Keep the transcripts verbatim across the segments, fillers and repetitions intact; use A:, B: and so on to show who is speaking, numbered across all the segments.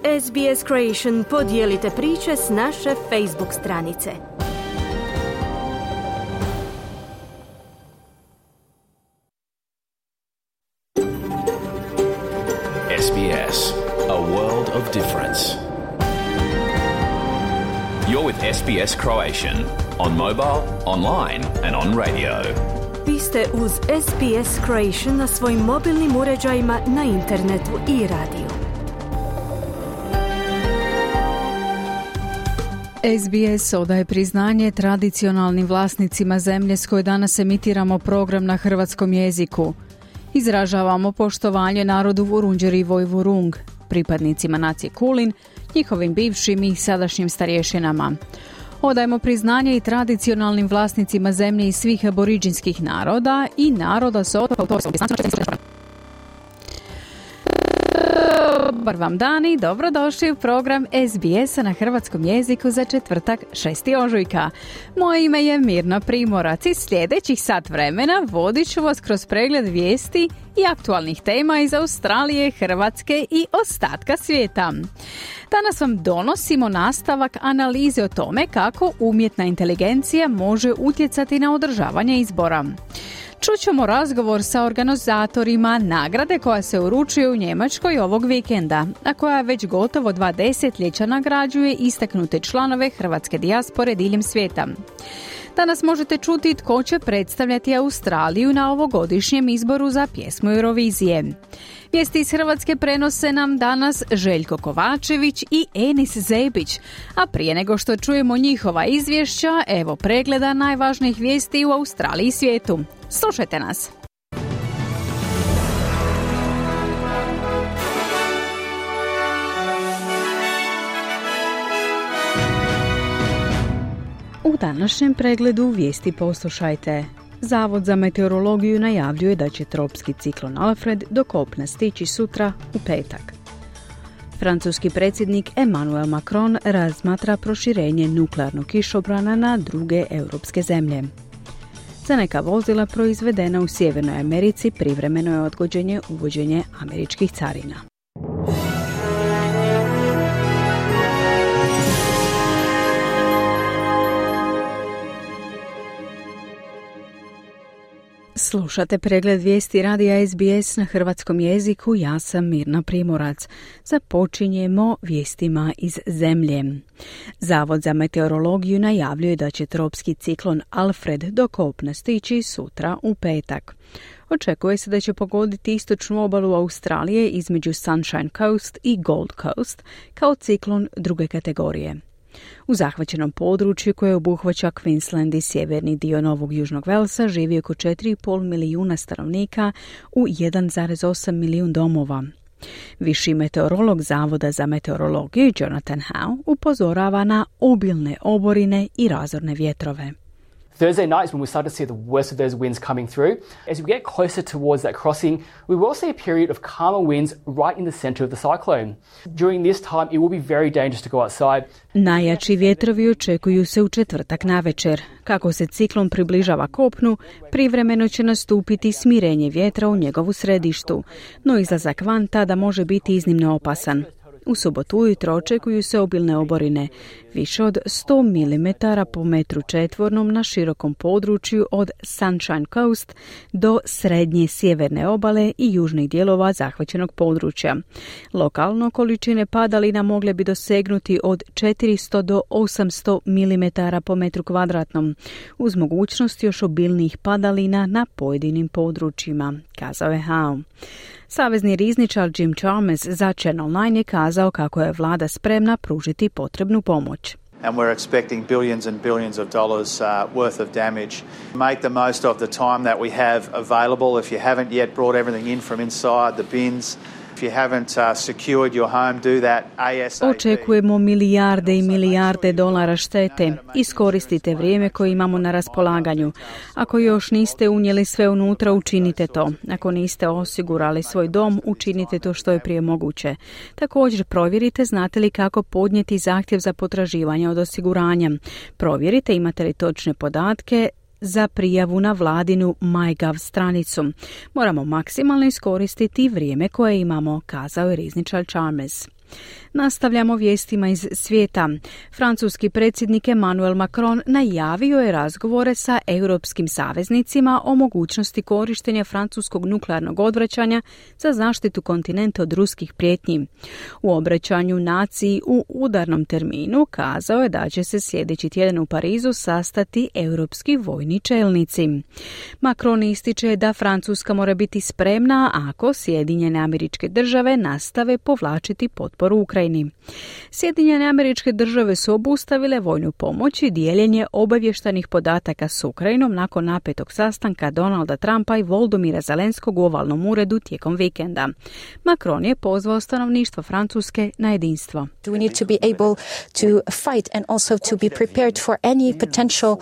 A: S B S Creation podijelite priče s naše Facebook stranice.
B: S B S, a world of difference. You're with S B S Croatian on mobile, online and on radio.
A: Vi ste uz S B S Croatian na svojim mobilnim uređajima, na internetu i radiju.
C: S B S odaje priznanje tradicionalnim vlasnicima zemlje s koje danas emitiramo program na hrvatskom jeziku. Izražavamo poštovanje narodu Vurundjeri Vojvurung, pripadnicima nacije Kulin, njihovim bivšim i sadašnjim starješinama. Odajemo priznanje i tradicionalnim vlasnicima zemlje i svih aboriđinskih naroda i naroda s Dobar vam dan i dobrodošli u program S B S-a na hrvatskom jeziku za četvrtak šesti ožujka. Moje ime je Mirna Primorac i sljedećih sat vremena vodit ću vas kroz pregled vijesti i aktualnih tema iz Australije, Hrvatske i ostatka svijeta. Danas vam donosimo nastavak analize o tome kako umjetna inteligencija može utjecati na održavanje izbora. Čućemo razgovor sa organizatorima nagrade koja se uručuje u Njemačkoj ovog vikenda, a koja već gotovo dva desetljeća nagrađuje istaknute članove hrvatske dijaspore diljem svijeta. Danas možete čuti tko će predstavljati Australiju na ovogodišnjem izboru za pjesmu Eurovizije. Vijesti iz Hrvatske prenose nam danas Željko Kovačević i Enis Zebić, a prije nego što čujemo njihova izvješća, evo pregleda najvažnijih vijesti u Australiji i svijetu. Slušajte nas! U današnjem pregledu vijesti poslušajte. Zavod za meteorologiju najavljuje da će tropski ciklon Alfred do kopna stići sutra u petak. Francuski predsjednik Emmanuel Macron razmatra proširenje nuklearnog kišobrana na druge europske zemlje. Za neka vozila proizvedena u Sjevernoj Americi privremeno je odgođenje uvođenje američkih carina. Slušate pregled vijesti radija S B S na hrvatskom jeziku, ja sam Mirna Primorac. Započinjemo vijestima iz zemlje. Zavod za meteorologiju najavljuje da će tropski ciklon Alfred do kopna stići sutra u petak. Očekuje se da će pogoditi istočnu obalu Australije između Sunshine Coast i Gold Coast kao ciklon druge kategorije. U zahvaćenom području koje obuhvaća Queensland i sjeverni dio Novog Južnog Velsa živi oko četiri i pol milijuna stanovnika u jedan zarez osam milijun domova. Viši meteorolog Zavoda za meteorologiju Jonathan Howe upozorava na obilne oborine i razorne vjetrove.
D: Thursday night is when we start to see the worst of those winds coming through. As we get closer towards that crossing, we will see a period of calmer winds right in the center of the cyclone. During this time, it will be very dangerous to go outside.
C: Najjači vjetrovi očekuju se u četvrtak navečer. Kako se ciklon približava kopnu, privremeno će nastupiti smirenje vjetra u njegovu središtu, no izlazak van tada može biti iznimno opasan. U subotu ujutro očekuju se obilne oborine, više od sto milimetara po metru četvornom na širokom području od Sunshine Coast do srednje sjeverne obale i južnih dijelova zahvaćenog područja. Lokalno količine padalina mogle bi dosegnuti od četiristo do osamsto milimetara po metru kvadratnom, uz mogućnost još obilnijih padalina na pojedinim područjima, kazao je Howe. Savezni rizničar Jim Chalmers za Channel nine je kazao kako je vlada spremna pružiti potrebnu pomoć.
E: And we're expecting billions and billions of dollars uh, worth of damage. Make the most of the time that we have available. If you haven't yet brought everything in from inside the bins, if you haven't uh, secured your home, do that ASAP.
C: Očekujemo milijarde i milijarde dolara štete. Iskoristite vrijeme koje imamo na raspolaganju. Ako još niste unijeli sve unutra, učinite to. Ako niste osigurali svoj dom, učinite to što je prije moguće. Također provjerite znate li kako podnijeti zahtjev za potraživanje od osiguranja. Provjerite imate li točne podatke za prijavu na vladinu MyGov stranicu. Moramo maksimalno iskoristiti vrijeme koje imamo, kazao je rizničar Chalmers. Nastavljamo vijestima iz svijeta. Francuski predsjednik Emmanuel Macron najavio je razgovore sa europskim saveznicima o mogućnosti korištenja francuskog nuklearnog odvraćanja za zaštitu kontinenta od ruskih prijetnji. U obraćanju naciji u udarnom terminu kazao je da će se sljedeći tjedan u Parizu sastati europski vojni čelnici. Macron ističe da Francuska mora biti spremna ako Sjedinjene Američke Države nastave povlačiti potporu Ukrajini. Sjedinjene Američke Države su obustavile vojnu pomoć i dijeljenje obavještajnih podataka s Ukrajinom nakon napetog sastanka Donalda Trumpa i Volodymyra Zelenskog u ovalnom uredu tijekom vikenda. Macron je pozvao stanovništvo Francuske na jedinstvo.
F: We need to be able to fight and also to be prepared for any potential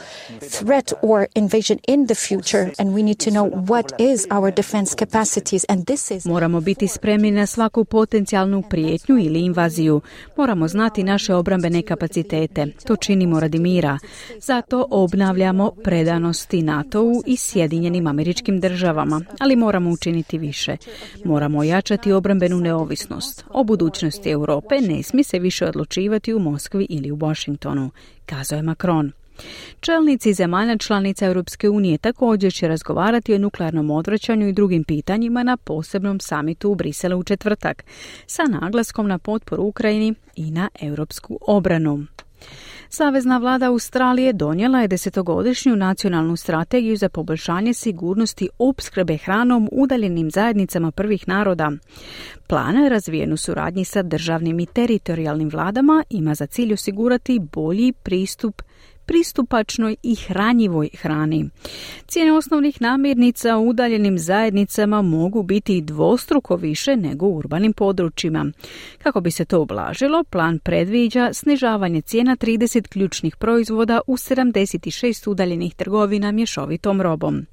F: threat or invasion in the future, and we need to know what is our defense capacities, and this is...
C: Moramo biti spremni na svaku potencijalnu prijetnju ili invaziju. Moramo znati naše obrambene kapacitete. To činimo radi mira. Zato obnavljamo predanosti NATO-u i Sjedinjenim Američkim Državama, ali moramo učiniti više. Moramo ojačati obrambenu neovisnost. O budućnosti Europe ne smije se više odlučivati u Moskvi ili u Washingtonu, kazao je Macron. Čelnici zemalja članica Europske unije također će razgovarati o nuklearnom odvraćanju i drugim pitanjima na posebnom samitu u Briselu u četvrtak, sa naglaskom na potporu Ukrajini i na europsku obranu. Savezna vlada Australije donijela je desetogodišnju nacionalnu strategiju za poboljšanje sigurnosti opskrbe hranom udaljenim zajednicama prvih naroda. Plan, razvijen u suradnji sa državnim i teritorijalnim vladama, ima za cilj osigurati bolji pristup pristupačnoj i hranjivoj hrani. Cijene osnovnih namirnica u udaljenim zajednicama mogu biti dvostruko više nego u urbanim područjima. Kako bi se to ublažilo, plan predviđa snižavanje cijena trideset ključnih proizvoda u sedamdeset šest udaljenih trgovina mješovitom robom.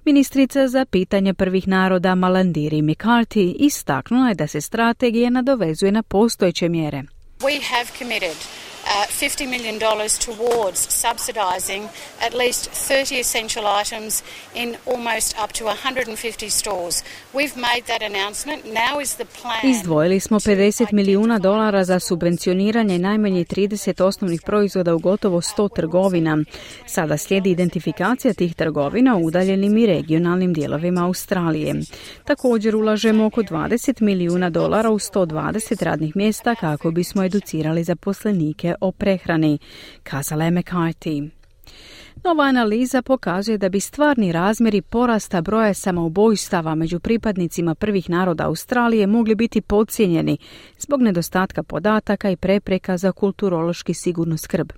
C: Ministrica za pitanje prvih naroda Malandiri McCarthy istaknula je da se strategija nadovezuje na postojeće mjere.
G: We have committed Uh, fifty million dollars towards subsidising at least thirty essential items in almost up to one hundred fifty stores. We've made that announcement. Now is the plan.
C: Izdvojili smo pedeset milijuna dolara za subvencioniranje najmanje trideset osnovnih proizvoda u gotovo sto trgovina. Sada slijedi identifikacija tih trgovina u udaljenim i regionalnim dijelovima Australije. Također ulažemo oko dvadeset milijuna dolara u sto dvadeset radnih mjesta kako bismo educirali zaposlenike o prehrani, kazala je McCarthy. Nova analiza pokazuje da bi stvarni razmjeri porasta broja samoubojstava među pripadnicima prvih naroda Australije mogli biti podcijenjeni zbog nedostatka podataka i prepreka za kulturološki sigurnu skrb.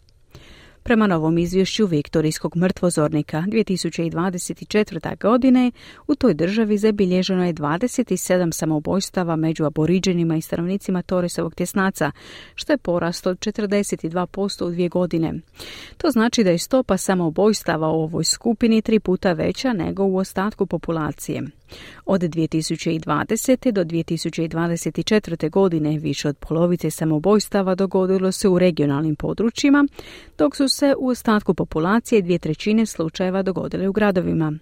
C: Prema novom izvješću Viktorijskog mrtvozornika dvije tisuće dvadeset četvrte. godine u toj državi zabilježeno je dvadeset sedam samoubojstava među aboriđenima i stanovnicima Torresovog tjesnaca, što je porast od četrdeset dva posto u dvije godine. To znači da je stopa samoubojstava u ovoj skupini tri puta veća nego u ostatku populacije. Od dvije tisuće dvadesete. do dvije tisuće dvadeset četvrte. godine više od polovice samoubojstava dogodilo se u regionalnim područjima, dok su se u ostatku populacije dvije trećine slučajeva dogodile u gradovima.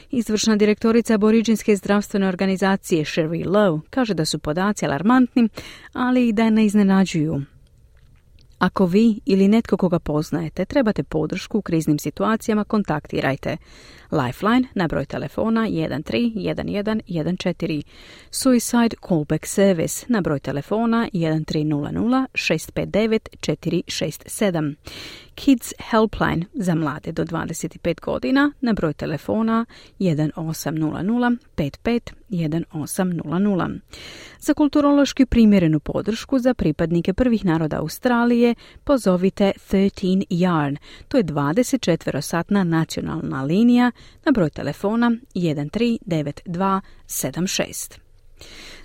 C: Izvršna direktorica aboriđinske zdravstvene organizacije Sherry Lowe kaže da su podaci alarmantni, ali i da ne iznenađuju. Ako vi ili netko koga poznajete trebate podršku u kriznim situacijama, kontaktirajte Lifeline na broj telefona jedan tri jedan jedan jedan četiri, Suicide Callback Service na broj telefona jedan tri nula nula šest pet devet četiri šest sedam, Kids Helpline za mlade do dvadeset pet godina na broj telefona jedan osam nula nula pet pet jedan osam nula nula. Za kulturološki primjerenu podršku za pripadnike prvih naroda Australije pozovite trinaest Yarn, to je dvadeset četiri satna nacionalna linija na broj telefona jedan tri devet dva sedam šest.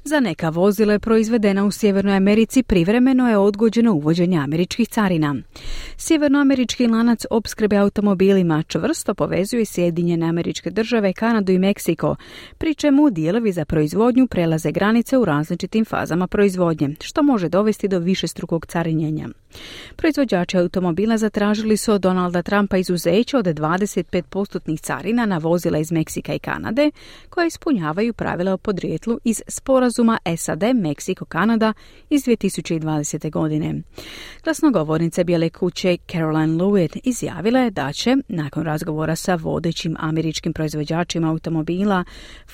C: Za neka vozila proizvedena u Sjevernoj Americi privremeno je odgođeno uvođenje američkih carina. Sjevernoamerički lanac opskrbe automobilima čvrsto povezuje Sjedinjene Američke Države, Kanadu i Meksiko, pri čemu dijelovi za proizvodnju prelaze granice u različitim fazama proizvodnje, što može dovesti do višestrukog carinjenja. Proizvođači automobila zatražili su od Donalda Trumpa izuzeće od dvadeset pet posto carina na vozila iz Meksika i Kanade, koja ispunjavaju pravila o podrijetlu iz sporazuma sporazuma S A D, Meksiko, Kanada iz dvije tisuće dvadesete. godine. Glasnogovornica Bijele kuće Caroline Lewitt izjavila je da će, nakon razgovora sa vodećim američkim proizvođačima automobila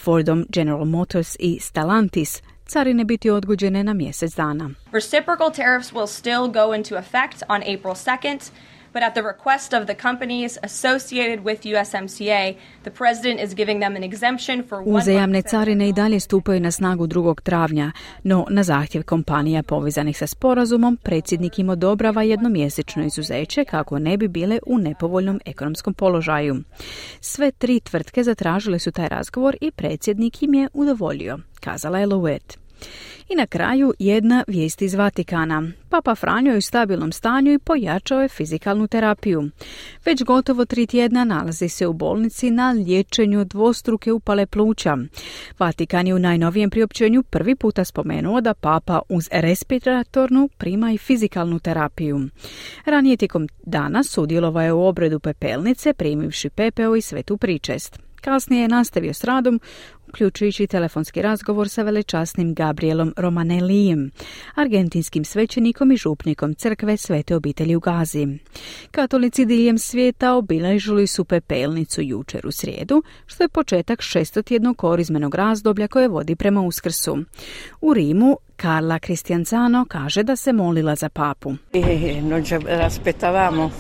C: Fordom, General Motors i Stellantis, carine biti odgođene na mjesec dana.
H: Reciprocal tariffs will still go into effect on April second. But at the request of the companies associated with U S M C A, the president is giving them an exemption for one
C: Uzajamne carine i dalje stupaju na snagu drugog travnja, no na zahtjev kompanija povezanih sa sporazumom, predsjednik im odobrava jednomjesečno izuzeće kako ne bi bile u nepovoljnom ekonomskom položaju. Sve tri tvrtke zatražile su taj razgovor i predsjednik im je udovoljio, kazala je Lewitt. I na kraju jedna vijest iz Vatikana. Papa Franjo je u stabilnom stanju i pojačao je fizikalnu terapiju. Već gotovo tri tjedna nalazi se u bolnici na liječenju dvostruke upale pluća. Vatikan je u najnovijem priopćenju prvi puta spomenuo da papa uz respiratornu prima i fizikalnu terapiju. Ranije tijekom dana sudjelovao je u obredu pepelnice, primivši pepeo i svetu pričest. Kasnije je nastavio s radom, uključujući telefonski razgovor sa velečasnim Gabrielom Romanellijem, argentinskim svećenikom i župnikom crkve Svete obitelji u Gazi. Katolici diljem svijeta obilježili su pepelnicu jučer u srijedu, što je početak šestotjednog korizmenog razdoblja koje vodi prema Uskrsu. U Rimu Carla Cristianzano kaže da se molila za papu.
I: E non ci aspettavamo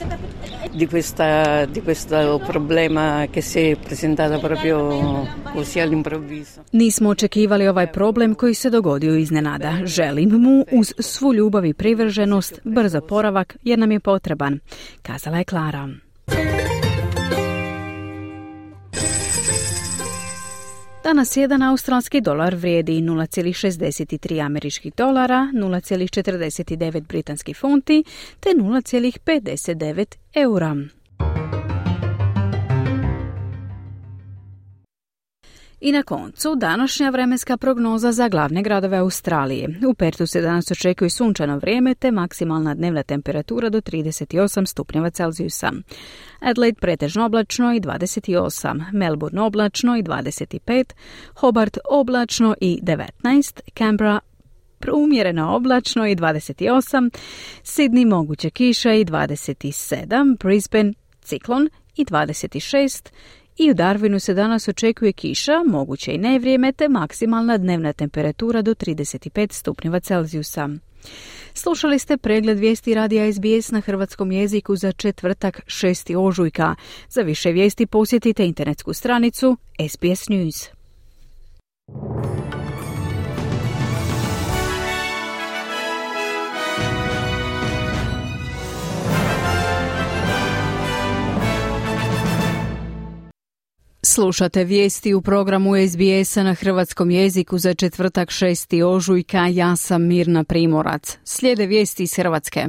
I: di questa di questo problema che si è presentato proprio così all'improvviso.
C: Nismo očekivali ovaj problem koji se dogodio iznenada. Želim mu uz svu ljubav i privrženost brzo oporavak jer nam je potreban, kazala je Klara. Danas jedan australski dolar vrijedi nula zarez šezdeset tri američkih dolara, nula zarez četrdeset devet britanskih funti te nula zarez pedeset devet eura. I na koncu, današnja vremenska prognoza za glavne gradove Australije. U Perthu se danas očekuje sunčano vrijeme te maksimalna dnevna temperatura do trideset osam stupnjeva Celzijusa. Adelaide pretežno oblačno i dvadeset osam, Melbourne oblačno i dvadeset pet, Hobart oblačno i devetnaest, Canberra umjereno oblačno i dvadeset osam, Sydney moguće kiša i dvadeset sedam, Brisbane ciklon i dvadeset šest, i u Darwinu se danas očekuje kiša, moguće i nevrijeme, te maksimalna dnevna temperatura do trideset pet stupnjeva Celzijusa. Slušali ste pregled vijesti radija S B S na hrvatskom jeziku za četvrtak šestog ožujka. Za više vijesti posjetite internetsku stranicu S B S News. Slušate vijesti u programu S B S-a na hrvatskom jeziku za četvrtak šestog ožujka. Ja sam Mirna Primorac. Slijede vijesti iz Hrvatske.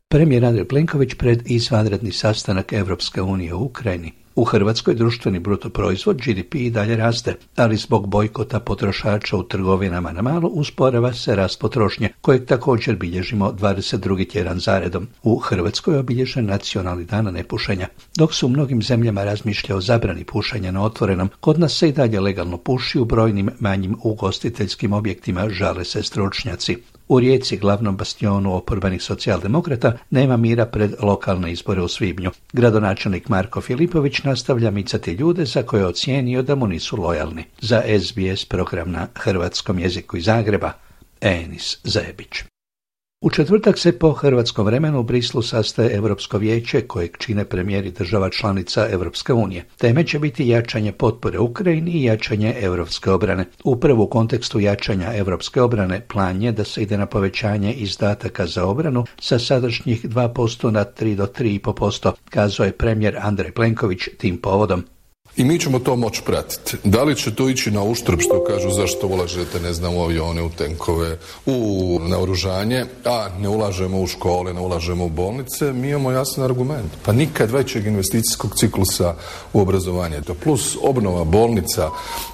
J: Premijer Andrej Plenković pred izvanredni sastanak Europske unije u Ukrajini. U Hrvatskoj društveni bruto proizvod G D P i dalje raste, ali zbog bojkota potrošača u trgovinama na malo usporava se rast potrošnje, kojeg također bilježimo dvadeset drugi tjedan zaredom. U Hrvatskoj je obilježen nacionalni dan nepušenja. Dok se u mnogim zemljama razmišlja o zabrani pušenja na otvorenom, kod nas se i dalje legalno puši u brojnim manjim ugostiteljskim objektima, žale se stručnjaci. U Rijeci, glavnom bastionu oporbenih socijaldemokrata, nema mira pred lokalne izbore u svibnju. Gradonačelnik Marko Filipović nastavlja micati ljude za koje je ocijenio da mu nisu lojalni. Za S B S program na hrvatskom jeziku iz Zagreba, Enis Zebić. U četvrtak se po hrvatskom vremenu u Brislu sastaje Europsko vijeće kojeg čine premijeri država članica Europske unije. Teme će biti jačanje potpore Ukrajini i jačanje europske obrane. Upravo u kontekstu jačanja europske obrane plan je da se ide na povećanje izdataka za obranu sa sadašnjih dva posto na tri do tri i pol posto, kazao je premijer Andrej Plenković tim povodom.
K: I mi ćemo to moći pratiti. Da li će to ići na uštrb, što kažu, zašto ulažete, ne znam, u avione, u tenkove, u naoružanje, a ne ulažemo u škole, ne ulažemo u bolnice, mi imamo jasan argument. Pa nikad većeg investicijskog ciklusa u obrazovanje. To plus obnova bolnica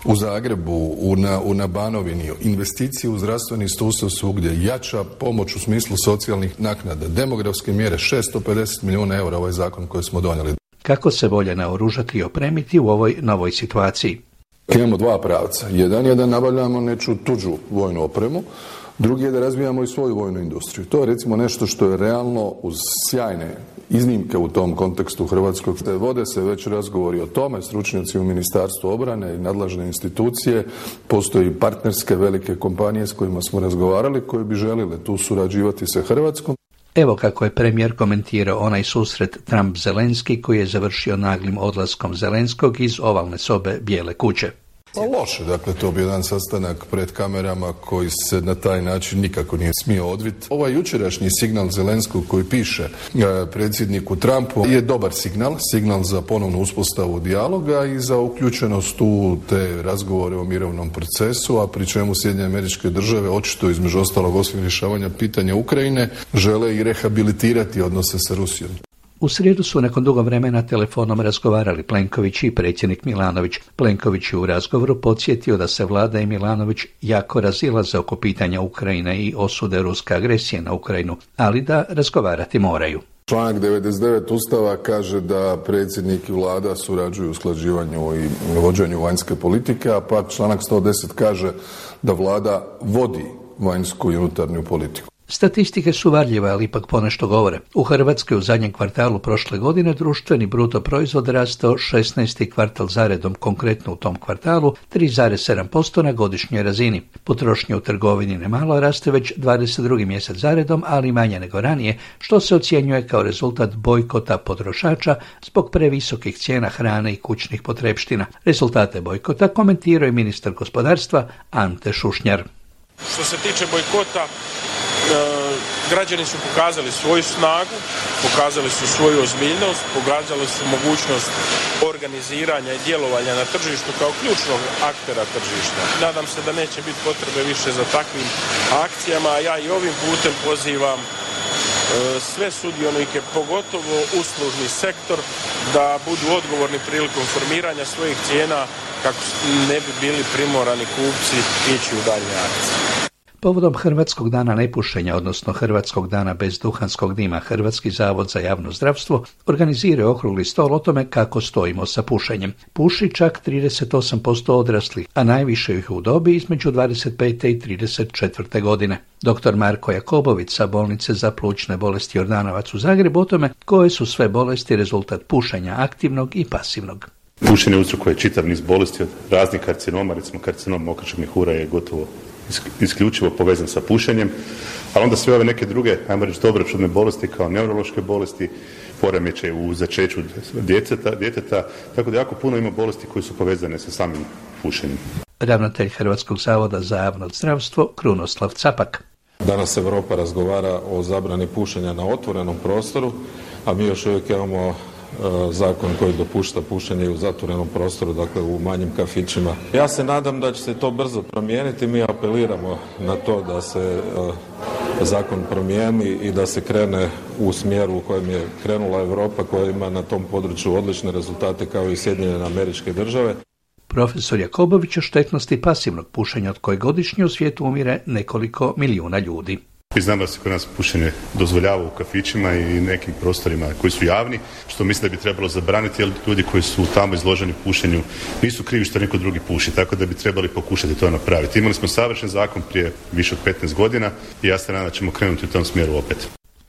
K: u Zagrebu, u, na, u, na Banovini, investicije u zdravstveni sustav svugdje, jača pomoć u smislu socijalnih naknada, demografske mjere, šesto pedeset milijuna eura ovaj zakon koji smo donijeli.
J: Kako se bolje naoružati i opremiti u ovoj novoj situaciji?
K: Imamo dva pravca. Jedan je da nabavljamo neču tuđu vojnu opremu, drugi je da razvijamo i svoju vojnu industriju. To je recimo nešto što je realno uz sjajne iznimke u tom kontekstu u Hrvatskoj. Vode se već razgovori o tome, stručnjaci u Ministarstvu obrane i nadležne institucije, postoji partnerske velike kompanije s kojima smo razgovarali koje bi želile tu surađivati sa Hrvatskom.
J: Evo kako je premijer komentirao onaj susret Trump-Zelenski koji je završio naglim odlaskom Zelenskog iz ovalne sobe Bijele kuće.
K: Pa loše, dakle to bi jedan sastanak pred kamerama koji se na taj način nikako nije smio odviti. Ovaj jučerašnji signal Zelenskog koji piše e, predsjedniku Trumpu je dobar signal, signal za ponovnu uspostavu dijaloga i za uključenost u te razgovore o mirovnom procesu, a pri čemu Sjedinjene Američke Države očito između ostalog osim rješavanja pitanja Ukrajine žele i rehabilitirati odnose sa Rusijom.
J: U srijedu su nakon dugo vremena telefonom razgovarali Plenković i predsjednik Milanović. Plenković je u razgovoru podsjetio da se vlada i Milanović jako razilaze oko pitanja Ukrajine i osude ruske agresije na Ukrajinu, ali da razgovarati moraju.
K: Članak devedeset devet Ustava kaže da predsjednik i vlada surađuju u usklađivanju i vođenju vanjske politike, a pak članak sto deset kaže da vlada vodi vanjsku i unutarnju politiku.
J: Statistike su varljive, ali ipak ponešto govore. U Hrvatskoj u zadnjem kvartalu prošle godine društveni bruto proizvod rastao šesnaesti kvartal zaredom, konkretno u tom kvartalu tri zarez sedam posto na godišnjoj razini. Potrošnja u trgovini nemalo raste već dvadeset drugi mjesec zaredom, ali manje nego ranije, što se ocjenjuje kao rezultat bojkota potrošača zbog previsokih cijena hrane i kućnih potrepština. Rezultate bojkota komentirao je ministar gospodarstva Ante Šušnjar.
L: Što se tiče bojkota, građani su pokazali svoju snagu, pokazali su svoju ozbiljnost, pokazali su mogućnost organiziranja i djelovanja na tržištu kao ključnog aktera tržišta. Nadam se da neće biti potrebe više za takvim akcijama, a ja i ovim putem pozivam sve sudionike, pogotovo uslužni sektor, da budu odgovorni prilikom formiranja svojih cijena kako ne bi bili primorani kupci ići u daljnje akcije.
J: Povodom Hrvatskog dana nepušenja, odnosno Hrvatskog dana bez duhanskog dima, Hrvatski zavod za javno zdravstvo organizira okrugli stol o tome kako stojimo sa pušenjem. Puši čak trideset osam posto odraslih, a najviše ih u dobi između dvadeset pete i trideset četvrte godine. Doktor Marko Jakobović sa bolnice za plućne bolesti Jordanovac u Zagrebu o tome koje su sve bolesti rezultat pušenja aktivnog i pasivnog.
M: Pušenje uzrokuje čitav niz bolesti od raznih karcinoma, recimo karcinom mokraćeg mjehura je gotovo isključivo povezan sa pušenjem, ali onda sve ove neke druge, ajmo reći dobročudne bolesti kao neurološke bolesti, poremećaj u začeću djeteta, djeteta, tako da jako puno ima bolesti koje su povezane sa samim pušenjem.
J: Ravnatelj Hrvatskog zavoda za javno zdravstvo Krunoslav Capak.
N: Danas Europa razgovara o zabrani pušenja na otvorenom prostoru, a mi još uvijek imamo zakon koji dopušta pušenje u zatvorenom prostoru, dakle u manjim kafićima. Ja se nadam da će se to brzo promijeniti. Mi apeliramo na to da se zakon promijeni i da se krene u smjeru u kojem je krenula Europa, koja ima na tom području odlične rezultate kao i Sjedinjene Američke Države.
J: Profesor Jakobović o štetnosti pasivnog pušenja od koje godišnje u svijetu umire nekoliko milijuna ljudi.
M: Mi znamo da se kod nas pušenje dozvoljava u kafićima i nekim prostorima koji su javni, što mislim da bi trebalo zabraniti, jer ljudi koji su tamo izloženi pušenju nisu krivi što neko drugi puši, tako da bi trebali pokušati to napraviti. Imali smo savršen zakon prije više od petnaest godina i ja se nadam da ćemo krenuti u tom smjeru opet.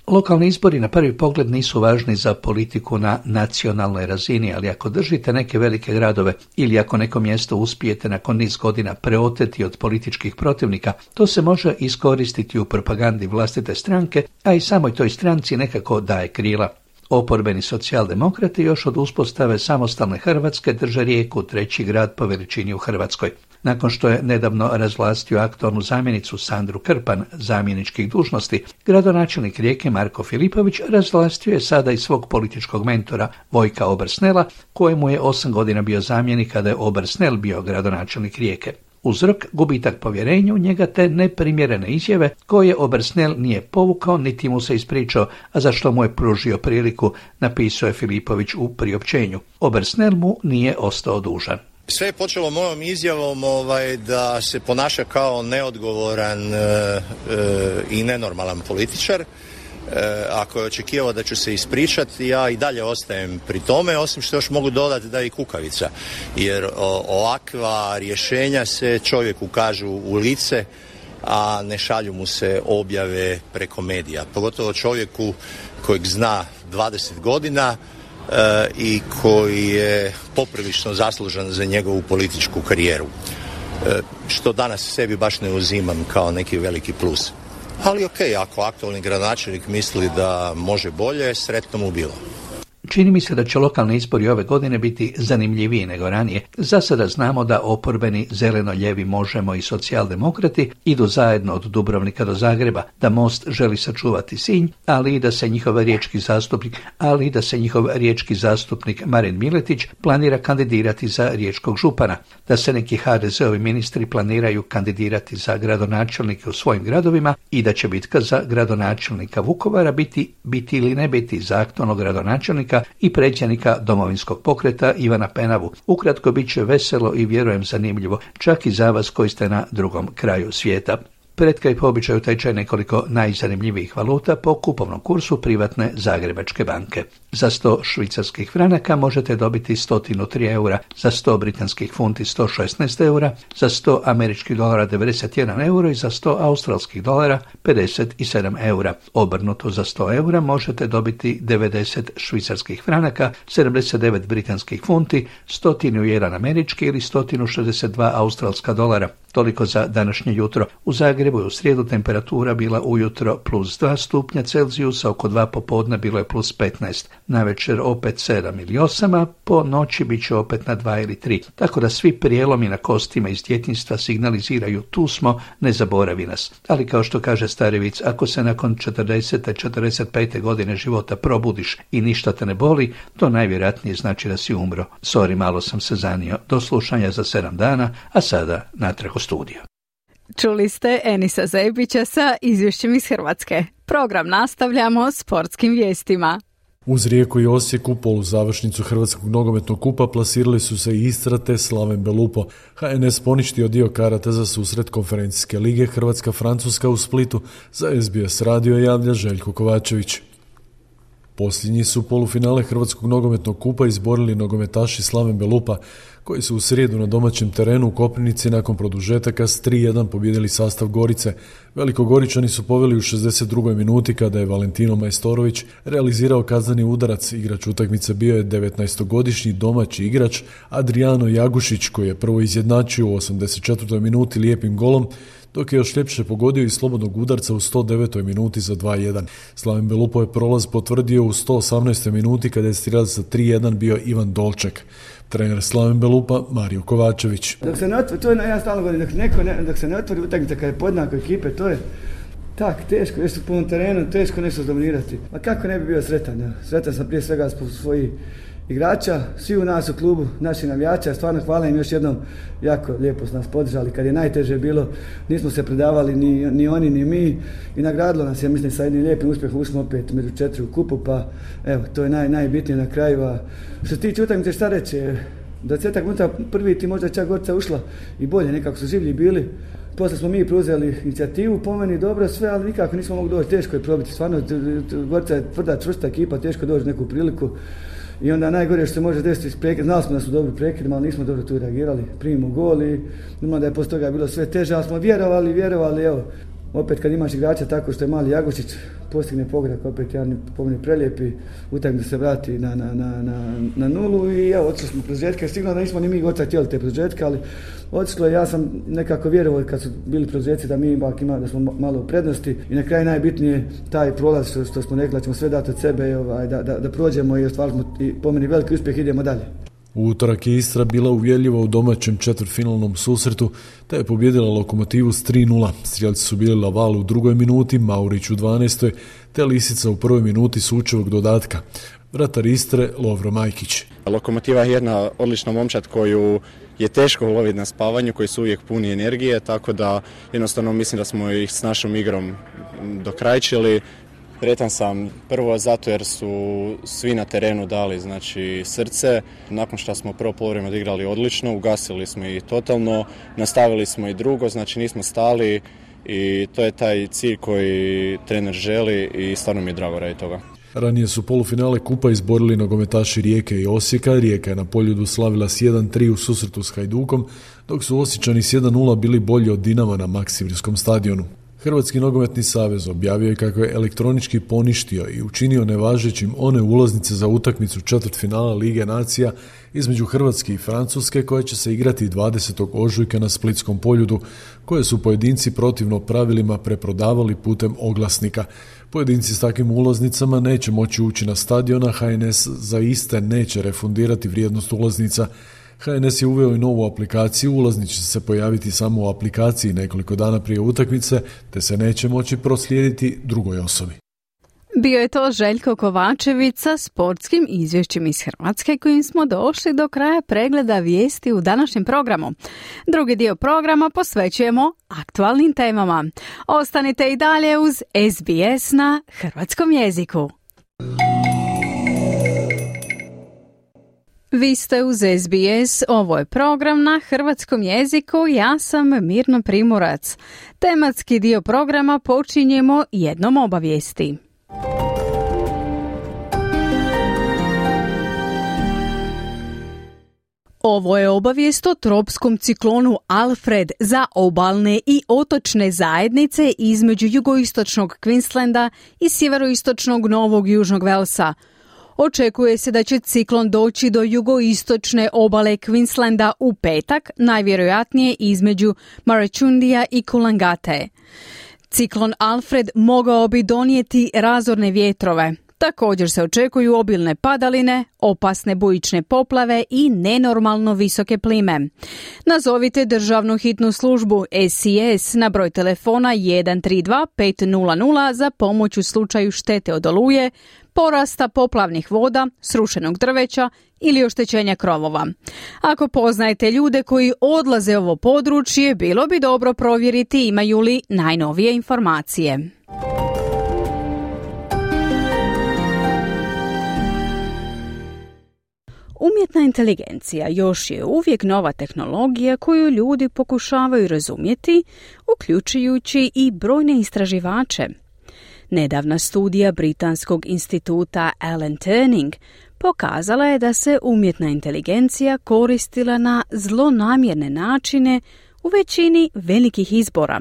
J: Lokalni izbori na prvi pogled nisu važni za politiku na nacionalnoj razini, ali ako držite neke velike gradove ili ako neko mjesto uspijete nakon niz godina preoteti od političkih protivnika, to se može iskoristiti u propagandi vlastite stranke, a i samoj toj stranci nekako daje krila. Oporbeni socijaldemokrati još od uspostave samostalne Hrvatske drže Rijeku, treći grad po veličini u Hrvatskoj. Nakon što je nedavno razvlastio aktualnu zamjenicu Sandru Krpan zamjeničkih dužnosti, gradonačelnik Rijeke Marko Filipović razvlastio je sada i svog političkog mentora Vojka Obersnela, kojemu je osam godina bio zamjenik kada je Obersnel bio gradonačelnik Rijeke. Uzrok gubitak povjerenja u njega te neprimjerene izjave koje Obersnel nije povukao niti mu se ispričao, a za što mu je pružio priliku, napisao je Filipović u priopćenju. Obersnel mu nije ostao dužan.
O: Sve je počelo mojom izjavom ovaj, da se ponaša kao neodgovoran e, e, i nenormalan političar ako je očekivao da ću se ispričati, ja i dalje ostajem pri tome, osim što još mogu dodati da je i kukavica. Jer ovakva rješenja se čovjeku kažu u lice, a ne šalju mu se objave preko medija. Pogotovo čovjeku kojeg zna dvadeset godina e, i koji je poprilično zaslužan za njegovu političku karijeru. E, što danas sebi baš ne uzimam kao neki veliki plus. Ali ok, ako aktualni gradonačelnik misli da može bolje, sretno mu bilo.
J: Čini mi se da će lokalni izbori ove godine biti zanimljiviji nego ranije. Za sada znamo da oporbeni zeleno-ljevi Možemo i socijaldemokrati idu zajedno od Dubrovnika do Zagreba, da Most želi sačuvati Sinj, ali i da se njihov riječki zastupnik, ali i da se njihov riječki zastupnik Marin Miletić planira kandidirati za riječkog župana, da se neki ha de zeovi ministri planiraju kandidirati za gradonačelnike u svojim gradovima i da će bitka za gradonačelnika Vukovara biti, biti ili ne biti za aktualnog gradonačelnika i predsjednika Domovinskog pokreta Ivana Penavu. Ukratko, bit će veselo i vjerujem zanimljivo, čak i za vas koji ste na drugom kraju svijeta. Pred kraj po običaju tečaj nekoliko najzanimljivijih valuta po kupovnom kursu privatne Zagrebačke banke. Za sto švicarskih franaka možete dobiti sto tri eura, za sto britanskih funti sto šesnaest eura, za sto američkih dolara devedeset jedan euro i za sto australskih dolara pedeset sedam eura. Obrnuto, za sto eura možete dobiti devedeset švicarskih franaka, sedamdeset devet britanskih funti, sto jedan američki ili sto šezdeset dva australska dolara. Toliko za današnje jutro. U Zagrebu je u srijedu temperatura bila ujutro plus dva stupnja Celzijusa, oko dva popodne bilo je plus petnaest. Navečer opet sedam ili osam, a po noći bit će opet na dva ili tri. Tako da svi prijelomi na kostima iz djetinjstva signaliziraju tu smo, ne zaboravi nas. Ali kao što kaže stari vic, ako se nakon četrdesete četrdeset pete godine života probudiš i ništa te ne boli, to najvjerojatnije znači da si umro. Sorry, malo sam se zanio. Do slušanja za sedam dana, a sada natrag u studio.
C: Čuli ste Enisa Zebića sa izvješćem iz Hrvatske. Program nastavljamo sportskim vijestima.
P: Uz Rijeku i Osijek u poluzavršnicu Hrvatskog nogometnog kupa plasirali su se Istra te Slaven Belupo. ha en es poništio dio karata za susret konferencijske lige Hrvatska-Francuska u Splitu. Za es be es radio javlja Željko Kovačević. Posljednji su polufinale Hrvatskog nogometnog kupa izborili nogometaši Slaven Belupa, koji su u srijedu na domaćem terenu u Koprivnici nakon produžetaka s tri jedan pobijedili sastav Gorice. Velikogoričani su poveli u šezdeset drugoj minuti kada je Valentino Majstorović realizirao kazneni udarac. Igrač utakmice bio je devetnaestogodišnji domaći igrač Adriano Jagušić, koji je prvo izjednačio u osamdeset četvrtoj minuti lijepim golom, dok je još ljepše pogodio i slobodnog udarca u sto devetoj minuti za dva jedan. Slaven Belupo je prolaz potvrdio u sto osamnaestoj minuti kada je strijelac za tri jedan bio Ivan Dolček. Trener Slaven Belupa Mario Kovačević.
Q: Dok se ne otvori, to je ja stalno govorim, dok, neko ne, dok se ne otvori utakmica kada je podjednako ekipe, to je tak teško, još po ovom terenu, teško nešto dominirati. A kako ne bi bio sretan? Ja? Sretan sam prije svega zbog svojih igrača, svi u nas u klubu, naši navijača, stvarno hvala im još jednom, jako lijepo su nas podržali, kad je najteže bilo, nismo se predavali ni, ni oni ni mi i nagradilo nas je, mislim, sa jednim lijepim uspjehom ušli opet među četiri u kupu, pa evo, to je naj, najbitnije na kraju. A što se tiče utakmice, šta reći, dvadesetak minuta prvi ti možda čak Gorica ušla i bolje, nekako su življi bili. Poslije smo mi preuzeli inicijativu, po meni dobro sve, ali nikako nismo mogli doći, teško je probiti, stvarno Gorica je tvrda, čvrsta ekipa, teško doći neku priliku. I onda najgore što se može desiti iz prekida, znali smo da su dobri prekidima, ali nismo dobro tu reagirali, primimo gol i normalno da je poslije toga bilo sve teže, ali smo vjerovali, vjerovali, evo, opet kad imaš igrača tako što je mali Jagušić, postigne pogodak, opet jedan pomeni prelijepi, utakmica da se vrati na, na, na, na, na nulu i evo, otišli smo produžetke, sigurno da nismo ni mi Gorica htjeli te produžetke, ali otišlo je, ja sam nekako vjerovao kad su bili produžetci da mi ipak ima, da smo malo u prednosti i na kraju najbitnije taj prolaz što, što smo rekli da ćemo sve dati od sebe, ovaj, da, da, da prođemo i ostvarili smo i po meni veliki uspjeh, idemo dalje.
P: U utorak je Istra bila uvjerljiva u domaćem četvrtfinalnom susretu, te je pobjedila Lokomotivu s tri nula. Strijelci su bili Laval u drugoj minuti, Maurić u dvanaestoj, te Lisica u prvoj minuti sučevog dodatka. Vratar Istre Lovro Majkić.
R: Lokomotiva je jedna odlična momčad koju je teško uloviti na spavanju, koji su uvijek puni energije, tako da jednostavno mislim da smo ih s našom igrom dokrajčili. Sretan sam prvo zato jer su svi na terenu dali znači srce. Nakon što smo prvo poluvreme odigrali odlično, ugasili smo ih totalno, nastavili smo i drugo, znači nismo stali i to je taj cilj koji trener želi i stvarno mi je drago radi toga.
P: Ranije su polufinale kupa izborili nogometaši Rijeke i Osijeka. Rijeka je na Poljudu slavila s jedan tri u susretu s Hajdukom, dok su Osječani s jedan nula bili bolji od Dinama na Maksimirskom stadionu. Hrvatski nogometni savez objavio je kako je elektronički poništio i učinio nevažećim one ulaznice za utakmicu četvrtfinala Lige nacija između Hrvatske i Francuske koja će se igrati dvadesetog ožujka na Splitskom Poljudu, koje su pojedinci protivno pravilima preprodavali putem oglasnika. Pojedinci s takvim ulaznicama neće moći ući na stadion, a H N S za iste neće refundirati vrijednost ulaznica. H N S je uveo i novu aplikaciju, ulaznice će se pojaviti samo u aplikaciji nekoliko dana prije utakmice, te se neće moći proslijediti drugoj osobi.
C: Bio je to Željko Kovačević sa sportskim izvješćem iz Hrvatske, kojim smo došli do kraja pregleda vijesti u današnjem programu. Drugi dio programa posvećujemo aktualnim temama. Ostanite i dalje uz S B S na hrvatskom jeziku. Vi ste uz S B S, ovo je program na hrvatskom jeziku, ja sam Mirna Primorac. Tematski dio programa počinjemo jednom obavijesti. Ovo je obavijest o tropskom ciklonu Alfred za obalne i otočne zajednice između jugoistočnog Queenslanda i sjeveroistočnog Novog Južnog Velsa. Očekuje se da će ciklon doći do jugoistočne obale Queenslanda u petak, najvjerojatnije između Marachundija i Coolangatte. Ciklon Alfred mogao bi donijeti razorne vjetrove. Također se očekuju obilne padaline, opasne bujične poplave i nenormalno visoke plime. Nazovite državnu hitnu službu S C S na broj telefona jedan tri dva pet nula nula za pomoć u slučaju štete od oluje, porasta poplavnih voda, srušenog drveća ili oštećenja krovova. Ako poznajete ljude koji odlaze u ovo područje, bilo bi dobro provjeriti imaju li najnovije informacije. Umjetna inteligencija još je uvijek nova tehnologija koju ljudi pokušavaju razumjeti, uključujući i brojne istraživače. Nedavna studija Britanskog instituta Alan Turing pokazala je da se umjetna inteligencija koristila na zlonamjerne načine u većini velikih izbora,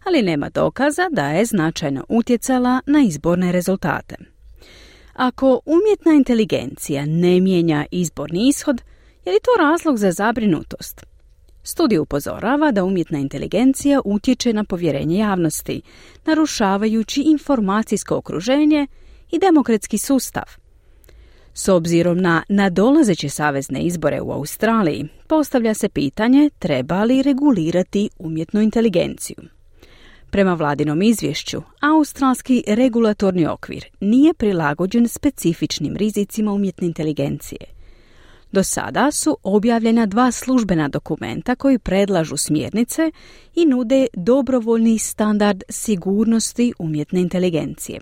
C: ali nema dokaza da je značajno utjecala na izborne rezultate. Ako umjetna inteligencija ne mijenja izborni ishod, je li to razlog za zabrinutost? Studija upozorava da umjetna inteligencija utječe na povjerenje javnosti, narušavajući informacijsko okruženje i demokratski sustav. S obzirom na nadolazeće savezne izbore u Australiji, postavlja se pitanje treba li regulirati umjetnu inteligenciju. Prema vladinom izvješću, australski regulatorni okvir nije prilagođen specifičnim rizicima umjetne inteligencije. Do sada su objavljena dva službena dokumenta koji predlažu smjernice i nude dobrovoljni standard sigurnosti umjetne inteligencije.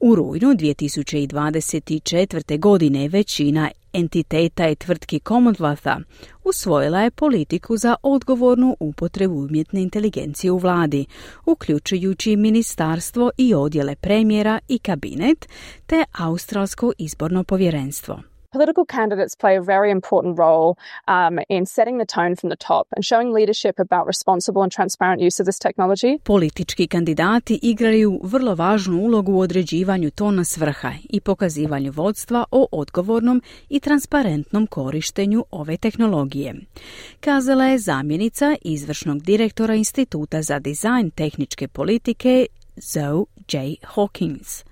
C: U rujnu dvije tisuće dvadeset četvrte. godine većina entiteta i tvrtki Commonwealtha usvojila je politiku za odgovornu upotrebu umjetne inteligencije u vladi, uključujući ministarstvo i odjele premijera i kabinet, te Australsko izborno povjerenstvo.
S: Political candidates play a very important role um, in setting the tone from the top and showing leadership about responsible and transparent use of this technology.
C: Politički kandidati igraju vrlo važnu ulogu u određivanju tona s vrha i pokazivanju vodstva o odgovornom i transparentnom korištenju ove tehnologije, kazala je zamjenica izvršnog direktora Instituta za dizajn tehničke politike Zoe J. Hawkins.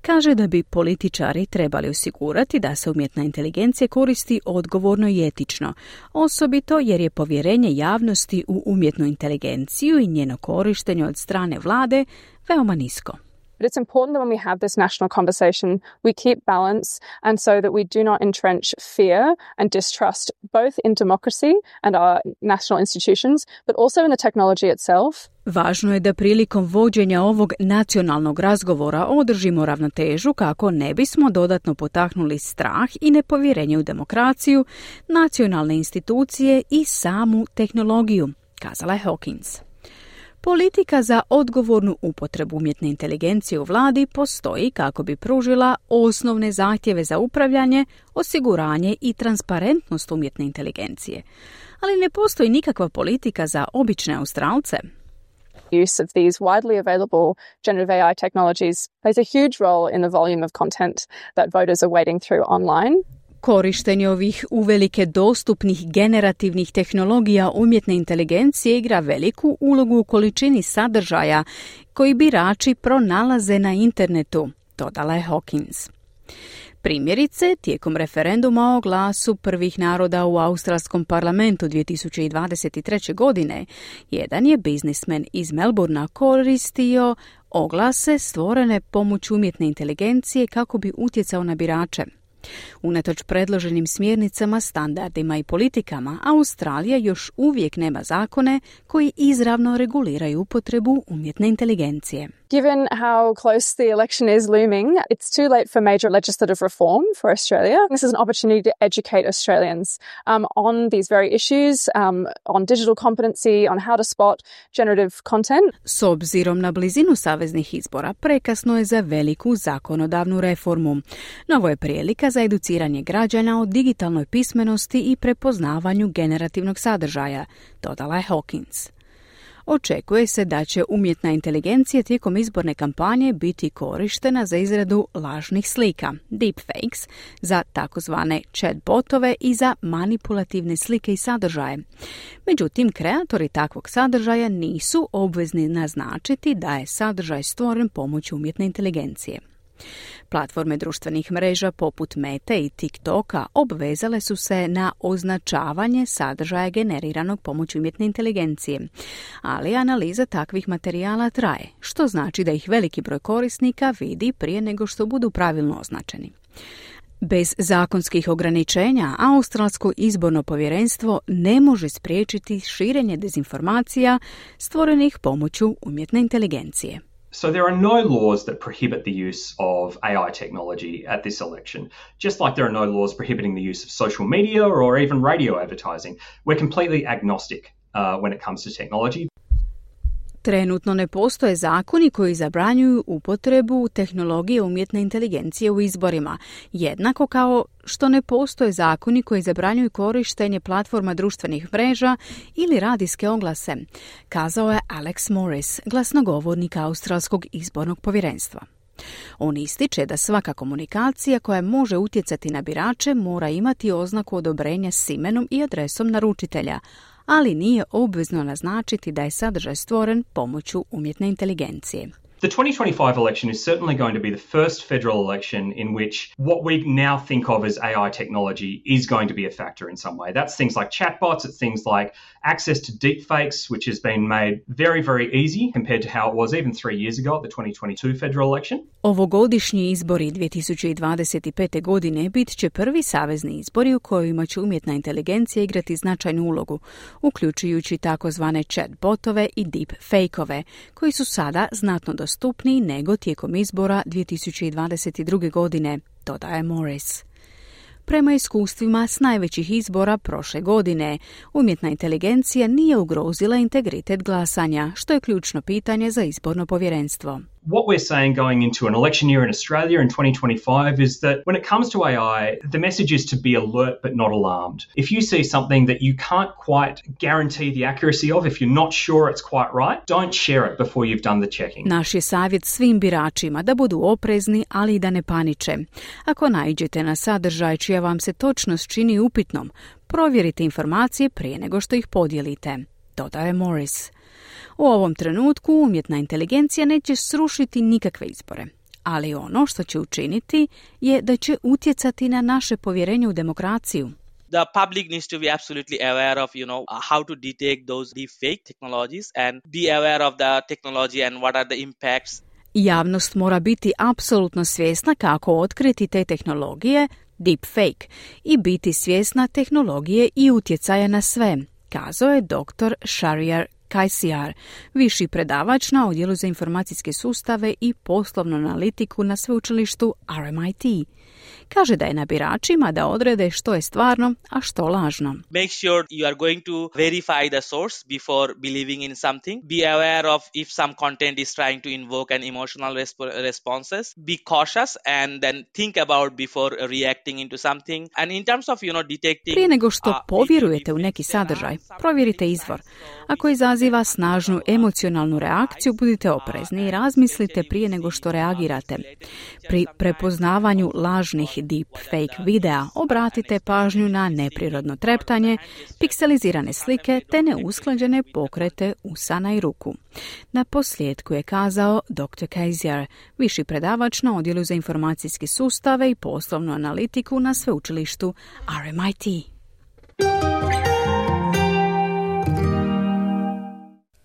C: Kaže da bi političari trebali osigurati da se umjetna inteligencija koristi odgovorno i etično, osobito jer je povjerenje javnosti u umjetnu inteligenciju i njeno korištenje od strane vlade veoma nisko.
S: But it's important that when we have this national conversation, we keep balance and so that we do not entrench fear and distrust both in democracy and our national institutions, but also in the technology itself.
C: Važno je da prilikom vođenja ovog nacionalnog razgovora održimo ravnotežu kako ne bismo dodatno potaknuli strah i nepovjerenje u demokraciju, nacionalne institucije i samu tehnologiju, kazala je Hawkins. Politika za odgovornu upotrebu umjetne inteligencije u vladi postoji kako bi pružila osnovne zahtjeve za upravljanje, osiguranje i transparentnost umjetne inteligencije. Ali ne postoji nikakva politika za obične Australce.
S: Use of these widely available generative A I technologies plays a huge role in the volume of content that voters are wading through online.
C: Korištenje ovih uvelike dostupnih generativnih tehnologija umjetne inteligencije igra veliku ulogu u količini sadržaja koji birači pronalaze na internetu, dodala je Hawkins. Primjerice, tijekom referenduma o glasu prvih naroda u australskom parlamentu dvije tisuće dvadeset treće. godine, jedan je biznismen iz Melbournea koristio oglase stvorene pomoću umjetne inteligencije kako bi utjecao na birače. Unatoč predloženim smjernicama, standardima i politikama, Australija još uvijek nema zakone koji izravno reguliraju upotrebu umjetne inteligencije.
S: Given how close the election is looming, it's too late for major legislative reform for Australia. This is an opportunity to educate Australians um, on these very issues, um, on digital competency, on how to spot generative content.
C: S obzirom na blizinu saveznih izbora, prekasno je za veliku zakonodavnu reformu. Novo je prilika za educiranje građana o digitalnoj pismenosti i prepoznavanju generativnog sadržaja, dodala je Hawkins. Očekuje se da će umjetna inteligencija tijekom izborne kampanje biti korištena za izradu lažnih slika, deepfakes, za takozvane chatbotove i za manipulativne slike i sadržaje. Međutim, kreatori takvog sadržaja nisu obvezni naznačiti da je sadržaj stvoren pomoću umjetne inteligencije. Platforme društvenih mreža poput Mete i TikToka obvezale su se na označavanje sadržaja generiranog pomoću umjetne inteligencije, ali analiza takvih materijala traje, što znači da ih veliki broj korisnika vidi prije nego što budu pravilno označeni. Bez zakonskih ograničenja, Australsko izborno povjerenstvo ne može spriječiti širenje dezinformacija stvorenih pomoću umjetne inteligencije.
T: So there are no laws that prohibit the use of A I technology at this election, just like there are no laws prohibiting the use of social media or even radio advertising. We're completely agnostic uh, when it comes to technology.
C: Trenutno ne postoje zakoni koji zabranjuju upotrebu tehnologije umjetne inteligencije u izborima, jednako kao što ne postoje zakoni koji zabranjuju korištenje platforma društvenih mreža ili radijske oglase, kazao je Alex Morris, glasnogovornik Australskog izbornog povjerenstva. On ističe da svaka komunikacija koja može utjecati na birače mora imati oznaku odobrenja s imenom i adresom naručitelja, ali nije obvezno naznačiti da je sadržaj stvoren pomoću umjetne inteligencije.
T: The twenty twenty-five election is certainly going to be the first federal election in which what we now think of as A I technology is going to be a factor in some way. That's things like chatbots, it's things like access to deepfakes, which has been made very, very easy compared to how it was even three years ago at the twenty twenty-two federal election.
C: Ovogodišnji izbori dvije tisuće dvadeset pete. godine bit će prvi savezni izbori u kojima će umjetna inteligencija igrati značajnu ulogu, uključujući takozvane chatbotove i deepfakeove, koji su sada znatno dostupniji nego tijekom izbora dvije tisuće dvadeset druge. godine, dodaje Morris. Prema iskustvima s najvećih izbora prošle godine, umjetna inteligencija nije ugrozila integritet glasanja, što je ključno pitanje za izborno povjerenstvo.
T: What we're saying going into an election year in Australia in twenty twenty-five is that when it comes to A I, the message is to be alert but not alarmed. If you see something that you can't quite guarantee the accuracy of, if you're not sure it's quite right, don't share it before you've done the checking.
C: Naš je savjet svim biračima da budu oprezni, ali i da ne paniče. Ako naiđete na sadržaj čija vam se točnost čini upitnom, provjerite informacije prije nego što ih podijelite, dodaje Morris. U ovom trenutku umjetna inteligencija neće srušiti nikakve izbore, ali ono što će učiniti je da će utjecati na naše povjerenje u demokraciju.
U: The public needs to be absolutely aware of, you know, how to detect those deepfake technologies and be aware of the technology and what are the impacts.
C: Javnost mora biti apsolutno svjesna kako otkriti te tehnologije, deepfake, i biti svjesna tehnologije i utjecaja na sve, kazao je doktor Shahryar Kajsijar, viši predavač na Odjelu za informacijske sustave i poslovnu analitiku na sveučilištu R M I T. Kaže da je na biračima da odrede što je stvarno, a što lažno.
U: Make sure you are going to verify the source before believing in something. Be aware of if some content is trying to invoke an emotional resp- responses. Be cautious and then think about before reacting into something. And in terms of, you know, detecting...
C: Prije nego što povjerujete u neki sadržaj, provjerite izvor. Ako izaziva snažnu emocionalnu reakciju, budite oprezni i razmislite prije nego što reagirate. Pri prepoznavanju lažnih deepfake videa obratite pažnju na neprirodno treptanje, pikselizirane slike te neusklađene pokrete usana i ruku. Na posljedku je kazao doktor Kajsijar, viši predavač na Odjelu za informacijske sustave i poslovnu analitiku na sveučilištu R M I T.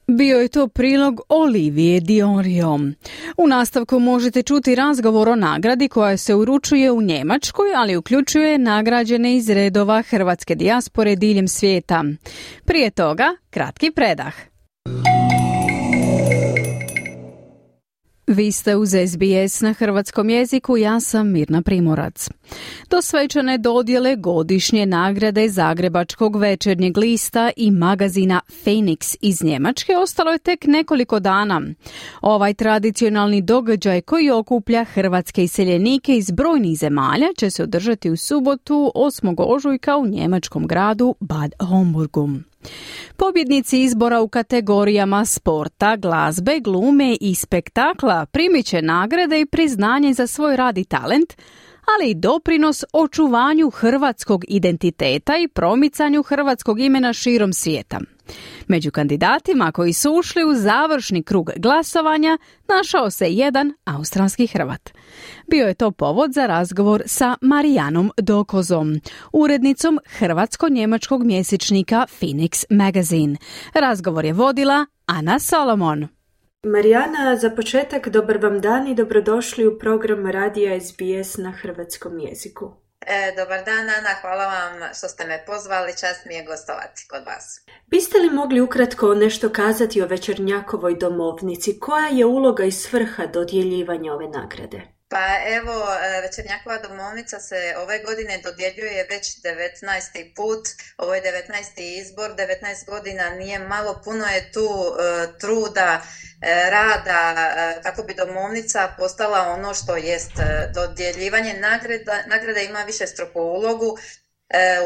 C: Bio je to prilog Olivije Diorio. U nastavku možete čuti razgovor o nagradi koja se uručuje u Njemačkoj, ali uključuje nagrađene iz redova hrvatske dijaspore diljem svijeta. Prije toga, kratki predah. Vi ste uz S B S na hrvatskom jeziku, ja sam Mirna Primorac. Do svečane dodjele godišnje nagrade Zagrebačkog večernjeg lista i magazina Phoenix iz Njemačke ostalo je tek nekoliko dana. Ovaj tradicionalni događaj koji okuplja hrvatske iseljenike iz brojnih zemalja će se održati u subotu osmog ožujka u njemačkom gradu Bad Homburgu. Pobjednici izbora u kategorijama sporta, glazbe, glume i spektakla primit će nagrade i priznanje za svoj rad i talent, ali i doprinos očuvanju hrvatskog identiteta i promicanju hrvatskog imena širom svijeta. Među kandidatima koji su ušli u završni krug glasovanja našao se jedan australski Hrvat. Bio je to povod za razgovor sa Marijanom Dokozom, urednicom hrvatsko-njemačkog mjesečnika Phoenix Magazine. Razgovor je vodila Ana Solomon.
A: Marijana, za početak dobar vam dan i dobrodošli u program radija S B S na hrvatskom jeziku.
B: E, dobar dan, Ana, hvala vam što ste me pozvali, čast mi je gostovati kod vas.
A: Biste li mogli ukratko nešto kazati o Večernjakovoj domovnici? Koja je uloga i svrha dodjeljivanja ove nagrade?
B: Pa evo, Večernjakova domovnica se ove godine dodjeljuje već devetnaesti put, ovo je devetnaesti izbor, devetnaest godina nije malo, puno je tu uh, truda, uh, rada, uh, kako bi domovnica postala ono što jest. Uh, dodjeljivanje nagrada, nagrada ima višestruku ulogu uh,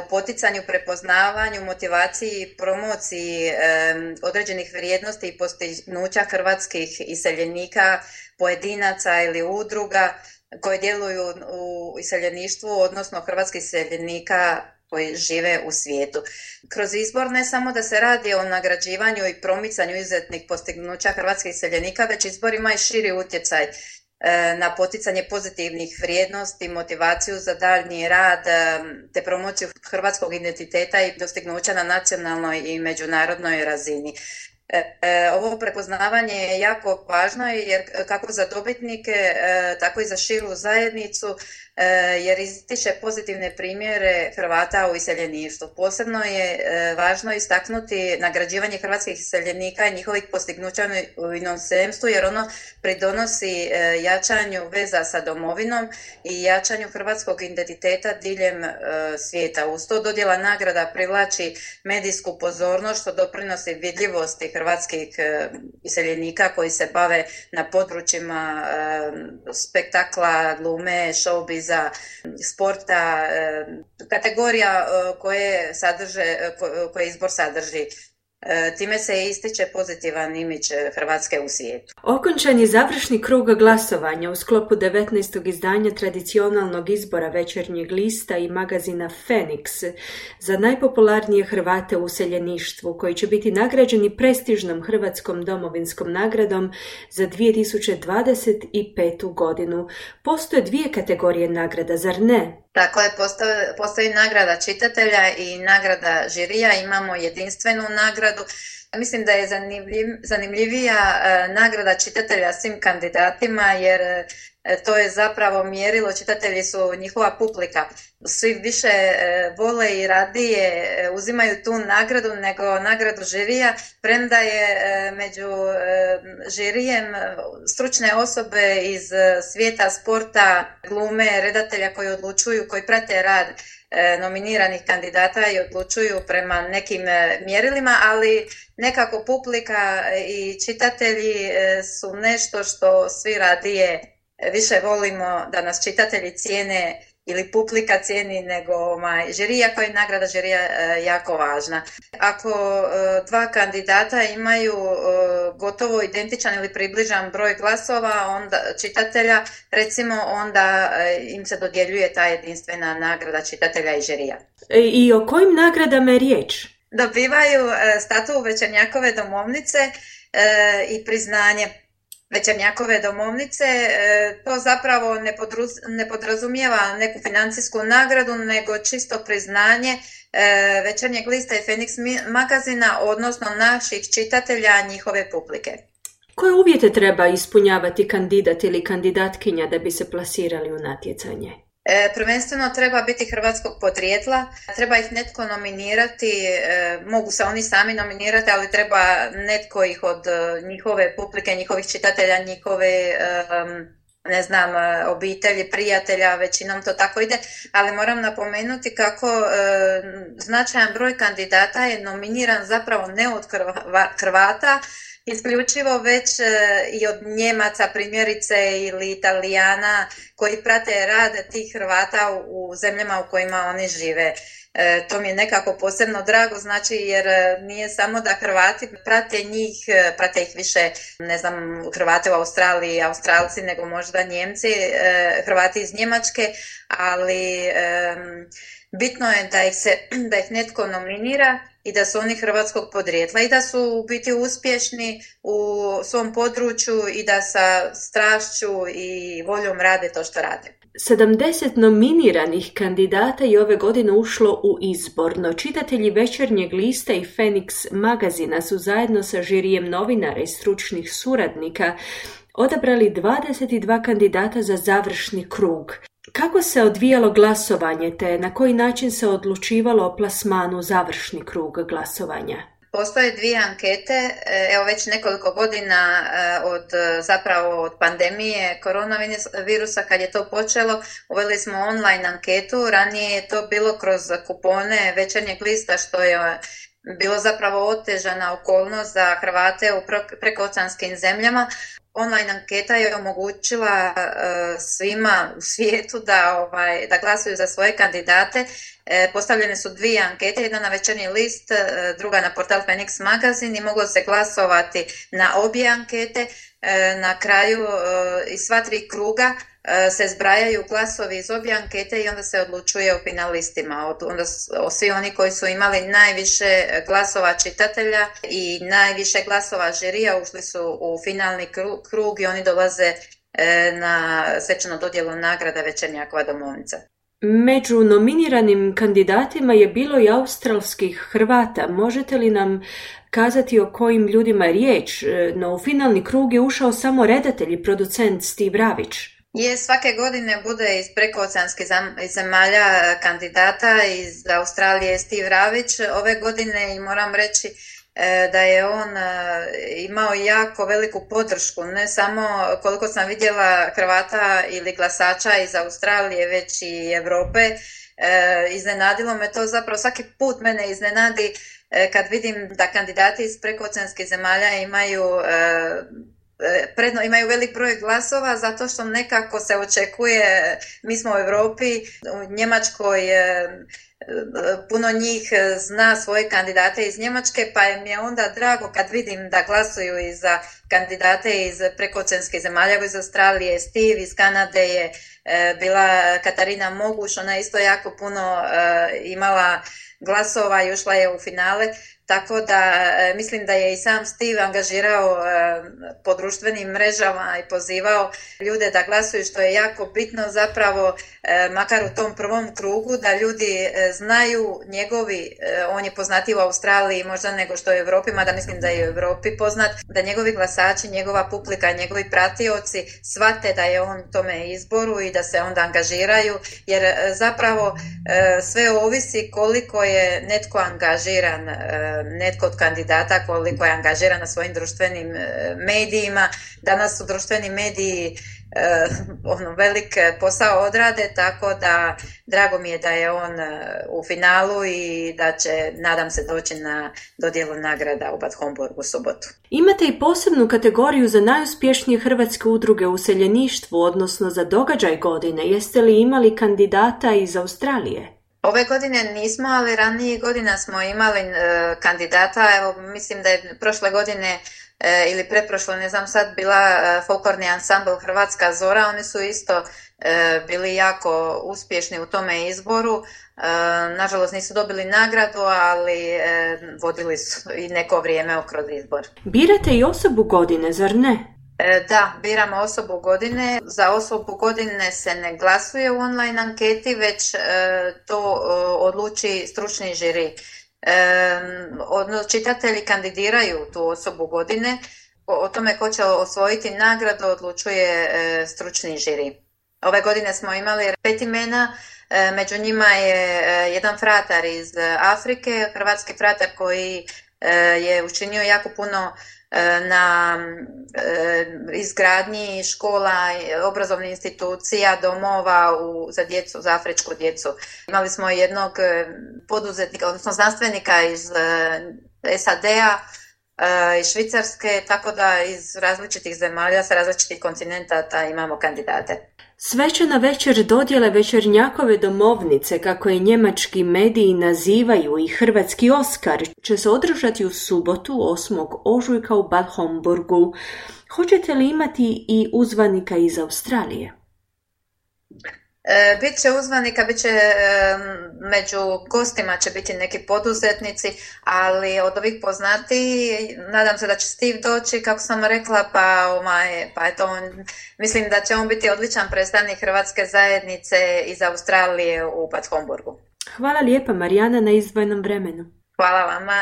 B: u poticanju, prepoznavanju, motivaciji i promociji um, određenih vrijednosti i postignuća hrvatskih iseljenika, pojedinaca ili udruga koje djeluju u iseljeništvu, odnosno hrvatskih iseljenika koji žive u svijetu. Kroz izbor ne samo da se radi o nagrađivanju i promicanju izuzetnih postignuća hrvatskih iseljenika, već izbor ima i širi utjecaj na poticanje pozitivnih vrijednosti, motivaciju za daljnji rad te promociju hrvatskog identiteta i dostignuća na nacionalnoj i međunarodnoj razini. Ovo prepoznavanje je jako važno jer kako za dobitnike, tako i za širu zajednicu, jer ističe pozitivne primjere Hrvata u iseljeništvu. Posebno je važno istaknuti nagrađivanje hrvatskih iseljenika i njihovih postignuća u inozemstvu, jer ono pridonosi jačanju veza sa domovinom i jačanju hrvatskog identiteta diljem svijeta. Uz to dodjela nagrada privlači medijsku pozornost što doprinosi vidljivosti hrvatskih iseljenika koji se bave na područjima spektakla, glume, showbiza, sporta, kategorija koje sadrže, koje izbor sadrži. Time se ističe pozitivan imidž Hrvatske u svijetu.
A: Okončan je završni krug glasovanja u sklopu devetnaestog izdanja tradicionalnog izbora Večernjeg lista i magazina Phoenix za najpopularnije Hrvate u useljeništvu, koji će biti nagrađeni prestižnom hrvatskom domovinskom nagradom za dvije tisuće dvadeset petu godinu. Postoje dvije kategorije nagrada, zar ne?
B: Tako je, postoji, postoji nagrada čitatelja i nagrada žirija, imamo jedinstvenu nagradu. Mislim da je zanimljiv, zanimljivija nagrada čitatelja svim kandidatima jer to je zapravo mjerilo, čitatelji su njihova publika. Svi više vole i radije uzimaju tu nagradu nego nagradu žirija, premda je među žirijem stručne osobe iz svijeta sporta, glume, redatelja koji odlučuju, koji prate rad nominiranih kandidata i odlučuju prema nekim mjerilima, ali nekako publika i čitatelji su nešto što svi radije više volimo da nas čitatelji cijene ili publika cijeni nego ovaj, žirija, koja je nagrada žirija e, jako važna. Ako e, dva kandidata imaju e, gotovo identičan ili približan broj glasova onda čitatelja, recimo onda e, im se dodjeljuje ta jedinstvena nagrada čitatelja i žirija.
A: E, I o kojim nagradama je riječ?
B: Dobivaju e, statu Večernjakove domovnice e, i priznanje Večernjakove domovnice. To zapravo ne, podruz, ne podrazumijeva neku financijsku nagradu, nego čisto priznanje Večernjeg lista i Phoenix magazina, odnosno naših čitatelja, njihove publike.
A: Koje uvjete treba ispunjavati kandidat ili kandidatkinja da bi se plasirali u natjecanje?
B: E, prvenstveno treba biti hrvatskog podrijetla, treba ih netko nominirati, e, mogu se oni sami nominirati, ali treba netko ih od e, njihove publike, njihovih čitatelja, njihove e, ne znam, obitelji, prijatelja, većinom to tako ide, ali moram napomenuti kako e, značajan broj kandidata je nominiran zapravo ne od Hrvata, isključivo već e, i od Njemaca primjerice ili Italijana koji prate rad tih Hrvata u, u zemljama u kojima oni žive. E, to mi je nekako posebno drago, znači jer nije samo da Hrvati prate njih, prate ih više, ne znam, Hrvate u Australiji, Australci, nego možda Njemci, e, Hrvati iz Njemačke, ali e, bitno je da ih, se, da ih netko nominira i da su oni hrvatskog podrijetla i da su u biti uspješni u svom području i da sa strašću i voljom rade to što rade.
A: sedamdeset nominiranih kandidata je ove godine ušlo u izbor, no čitatelji Večernjeg lista i Phoenix magazina su zajedno sa žirijem novinara i stručnih suradnika odabrali dvadeset dva kandidata za završni krug. Kako se odvijalo glasovanje te na koji način se odlučivalo o plasmanu završni krug glasovanja?
B: Postoje dvije ankete, evo već nekoliko godina od zapravo od pandemije koronavirusa kad je to počelo, uveli smo online anketu, ranije je to bilo kroz kupone Večernjeg lista što je bilo zapravo otežana okolnost za Hrvate u prekooceanskim zemljama. Online anketa je omogućila uh, svima u svijetu da, ovaj, da glasuju za svoje kandidate. E, postavljene su dvije ankete, jedna na Večernji list, druga na portal Phoenix magazin i moglo se glasovati na obje ankete. E, na kraju e, iz sva tri kruga e, se zbrajaju glasovi iz obje ankete i onda se odlučuje o finalistima. Onda o svi oni koji su imali najviše glasova čitatelja i najviše glasova žirija ušli su u finalni krug i oni dolaze e, na svečanu dodjelu nagrada Večernjakova domovnica.
A: Među nominiranim kandidatima je bilo i australskih Hrvata. Možete li nam kazati o kojim ljudima je riječ? No u finalni krug je ušao samo redatelj i producent Steve Ravić.
B: Je, svake godine bude iz prekooceanskih zemalja kandidata, iz Australije Steve Ravić. Ove godine i moram reći da je on imao jako veliku podršku, ne samo koliko sam vidjela Hrvata ili glasača iz Australije, već i Europe. Iznenadilo me to, zapravo svaki put mene iznenadi kad vidim da kandidati iz prekooceanskih zemalja imaju predno imaju velik broj glasova zato što nekako se očekuje, mi smo u Europi, u Njemačkoj puno njih zna svoje kandidate iz Njemačke, pa mi je onda drago kad vidim da glasuju i za kandidate iz prekooceanskih zemalja, iz Australije, Steve, iz Kanade je bila Katarina Moguš, ona isto jako puno imala glasova i ušla je u finale. tako da e, mislim da je i sam Steve angažirao e, po društvenim mrežama i pozivao ljude da glasuju, što je jako bitno zapravo, e, makar u tom prvom krugu, da ljudi e, znaju njegovi, e, on je poznatiji u Australiji možda nego što je u Europi, mada mislim da je u Europi poznat, da njegovi glasači, njegova publika, njegovi pratioci shvate da je on u tome izboru i da se onda angažiraju, jer e, zapravo e, sve ovisi koliko je netko angažiran, e, netko od kandidata koliko je angažiran na svojim društvenim e, medijima. Danas su društveni mediji e, ono, velik posao odrade, tako da drago mi je da je on e, u finalu i da će, nadam se, doći na dodjelu nagrada u Bad Homburgu u subotu.
A: Imate i posebnu kategoriju za najuspješnije hrvatske udruge u useljeništvu, odnosno za događaj godine. Jeste li imali kandidata iz Australije?
B: Ove godine nismo, ali ranije godina smo imali e, kandidata. Evo, mislim da je prošle godine e, ili pretprošle, ne znam sad, bila e, folklorni ansambl Hrvatska Zora. Oni su isto e, bili jako uspješni u tome izboru. E, nažalost nisu dobili nagradu, ali e, vodili su i neko vrijeme kroz izbor.
A: Birate i osobu godine, zar ne?
B: Da, biramo osobu godine. Za osobu godine se ne glasuje u online anketi, već e, to e, odluči stručni žiri. E, čitatelji kandidiraju tu osobu godine. O, o tome ko će osvojiti nagradu odlučuje e, stručni žiri. Ove godine smo imali pet imena, e, među njima je e, jedan fratar iz Afrike, hrvatski fratar koji e, je učinio jako puno na izgradnji škola, obrazovnih institucija, domova u, za djecu, za afričku djecu. Imali smo jednog poduzetnika, odnosno znanstvenika iz S A D-a, iz Švicarske, tako da iz različitih zemalja, sa različitih kontinenta imamo kandidate.
A: Svečana večer dodjele Večernjakove domovnice, kako je njemački mediji nazivaju, i hrvatski Oskar, će se održati u subotu osmog ožujka u Bad Homburgu. Hoćete li imati i uzvanika iz Australije?
B: E, bit će uzvanika, bit će e, među gostima će biti neki poduzetnici, ali od ovih poznatiji nadam se da će Steve doći, kako sam rekla, pa, omaj, pa eto, on, mislim da će on biti odličan predstavnik hrvatske zajednice iz Australije u Bad Homburgu.
A: Hvala lijepa, Marijana, na izdvojenom vremenu.
B: Hvala vama.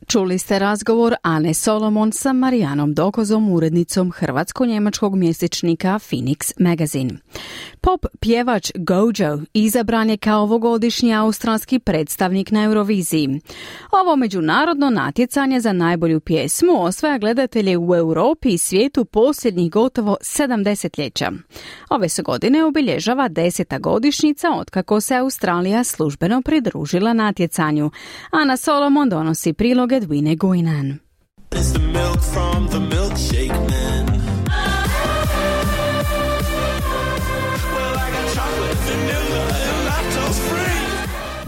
C: Čuli ste razgovor Ane Solomon sa Marijanom Dokozom, urednicom hrvatsko-njemačkog mjesečnika Phoenix Magazine. Pop pjevač Gojo izabran je kao ovogodišnji australski predstavnik na Euroviziji. Ovo međunarodno natjecanje za najbolju pjesmu osvaja gledatelje u Europi i svijetu posljednjih gotovo sedam desetljeća. Ove se godine obilježava deseta godišnjica otkako se Australija službeno pridružila natjecanju. Ana Solomon donosi prilog Edwine Guinan.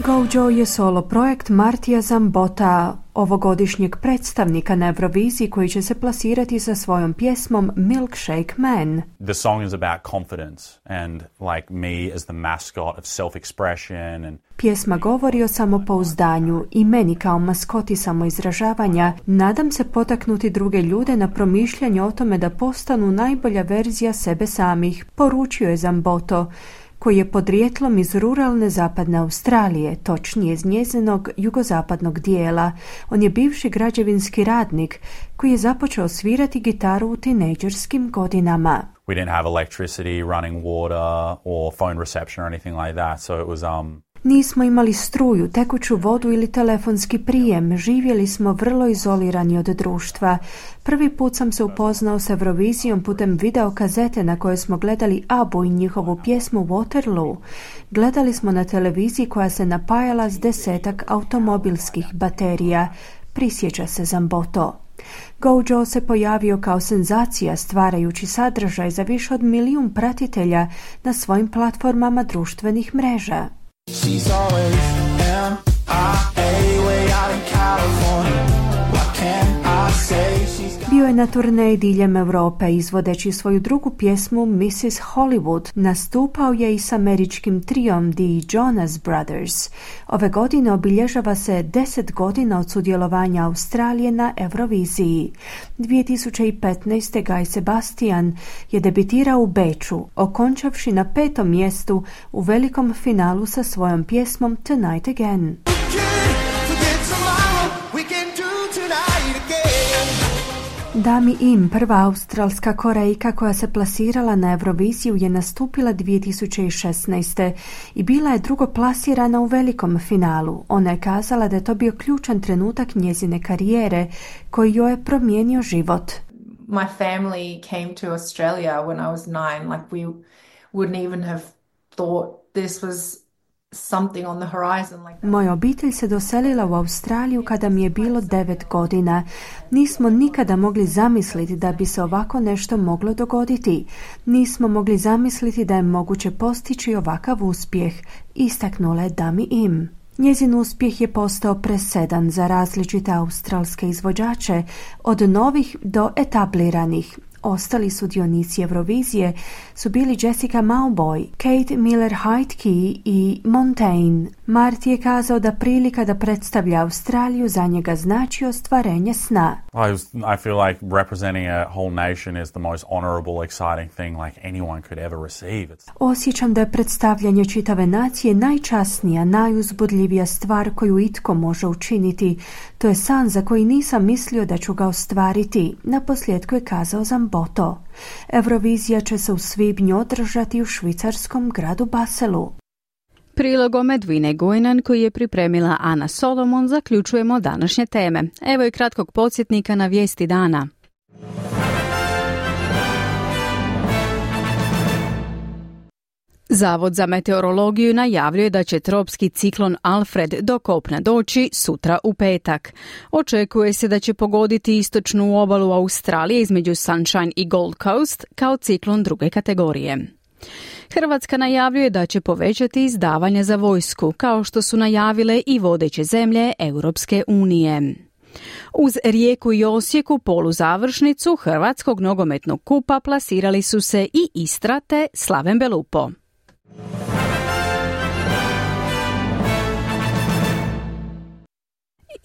A: Gojo je solo projekt Martija Zambota, ovogodišnjeg predstavnika na Euroviziji, koji će se plasirati sa svojom pjesmom Milkshake Man.
D: The song is about confidence and like me as the mascot of self-expression and
A: Pjesma govori o samopouzdanju i meni kao maskoti samoizražavanja. Nadam se potaknuti druge ljude na promišljanje o tome da postanu najbolja verzija sebe samih, poručio je Zamboto, koji je podrijetlom iz ruralne zapadne Australije, točnije iz njezinog jugozapadnog dijela. On je bivši građevinski radnik koji je započeo svirati gitaru u tinejdžerskim godinama.
D: we didn't have electricity, running water or phone reception or anything like that, so it was um
A: Nismo imali struju, tekuću vodu ili telefonski prijem, živjeli smo vrlo izolirani od društva. Prvi put sam se upoznao s Eurovizijom putem video kazete na kojoj smo gledali Abu i njihovu pjesmu Waterloo. Gledali smo na televiziji koja se napajala s desetak automobilskih baterija, prisjeća se Zamboto. Gojo se pojavio kao senzacija stvarajući sadržaj za više od milijun pratitelja na svojim platformama društvenih mreža.
V: She's always M I A way out in California. What can I say? She's
A: Bio je na turneji diljem Europe izvodeći svoju drugu pjesmu missus Hollywood. Nastupao je i s američkim trijom The Jonas Brothers. Ove godine obilježava se deset godina od sudjelovanja Australije na Euroviziji. dvije tisuće petnaeste. Guy Sebastian je debitirao u Beču, okončavši na petom mjestu u velikom finalu sa svojom pjesmom Tonight Again. Dami Im, prva australska Korejka koja se plasirala na Euroviziju, je nastupila dvije tisuće šesnaeste. i bila je drugo plasirana u velikom finalu. Ona je kazala da je to bio ključan trenutak njezine karijere koji joj je promijenio život.
E: My family came to Australia when I was nine. Like we wouldn't even have thought this was something on the horizon. Like
A: Moja obitelj se doselila u Australiju kada mi je bilo devet godina. Nismo nikada mogli zamisliti da bi se ovako nešto moglo dogoditi. Nismo mogli zamisliti da je moguće postići ovakav uspjeh, istaknula je Dami Im. Njezin uspjeh je postao presedan za različite australske izvođače, od novih do etabliranih. Ostali sudionici Eurovizije su bili Jessica Mauboy, Kate Miller-Heidke i Montaigne. Marty je kazao da prilika da predstavlja Australiju za njega znači ostvarenje sna.
D: I, was, I feel like representing a whole nation is the most honorable, exciting thing like anyone could ever receive. It's...
A: Osjećam da je predstavljanje čitave nacije najčasnija, najuzbudljivija stvar koju itko može učiniti. To je san za koji nisam mislio da ću ga ostvariti. Naposljetku je kazao Zamboto. Eurovizija će se u svibnju održati u švicarskom gradu Baselu.
C: Prilogom Edvine Gojnan koji je pripremila Ana Solomon zaključujemo današnje teme. Evo i kratkog podsjetnika na vijesti dana. Zavod za meteorologiju najavljuje da će tropski ciklon Alfred do kopna doći sutra u petak. Očekuje se da će pogoditi istočnu obalu Australije između Sunshine i Gold Coast kao ciklon druge kategorije. Hrvatska najavljuje da će povećati izdavanja za vojsku, kao što su najavile i vodeće zemlje Europske unije. Uz Rijeku i Osijek u poluzavršnicu Hrvatskog nogometnog kupa plasirali su se i Istra te Slaven Belupo.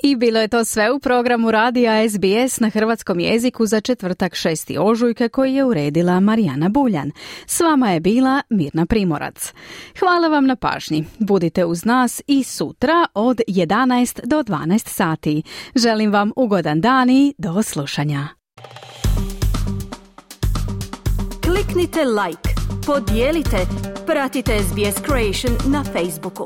C: I bilo je to sve u programu radija S B S na hrvatskom jeziku za četvrtak šesti ožujka koji je uredila Marijana Buljan. S vama je bila Mirna Primorac. Hvala vam na pažnji. Budite uz nas i sutra od jedanaest do dvanaest sati. Želim vam ugodan dan i do slušanja. Kliknite like, podijelite, pratite S B S Creation na Facebooku.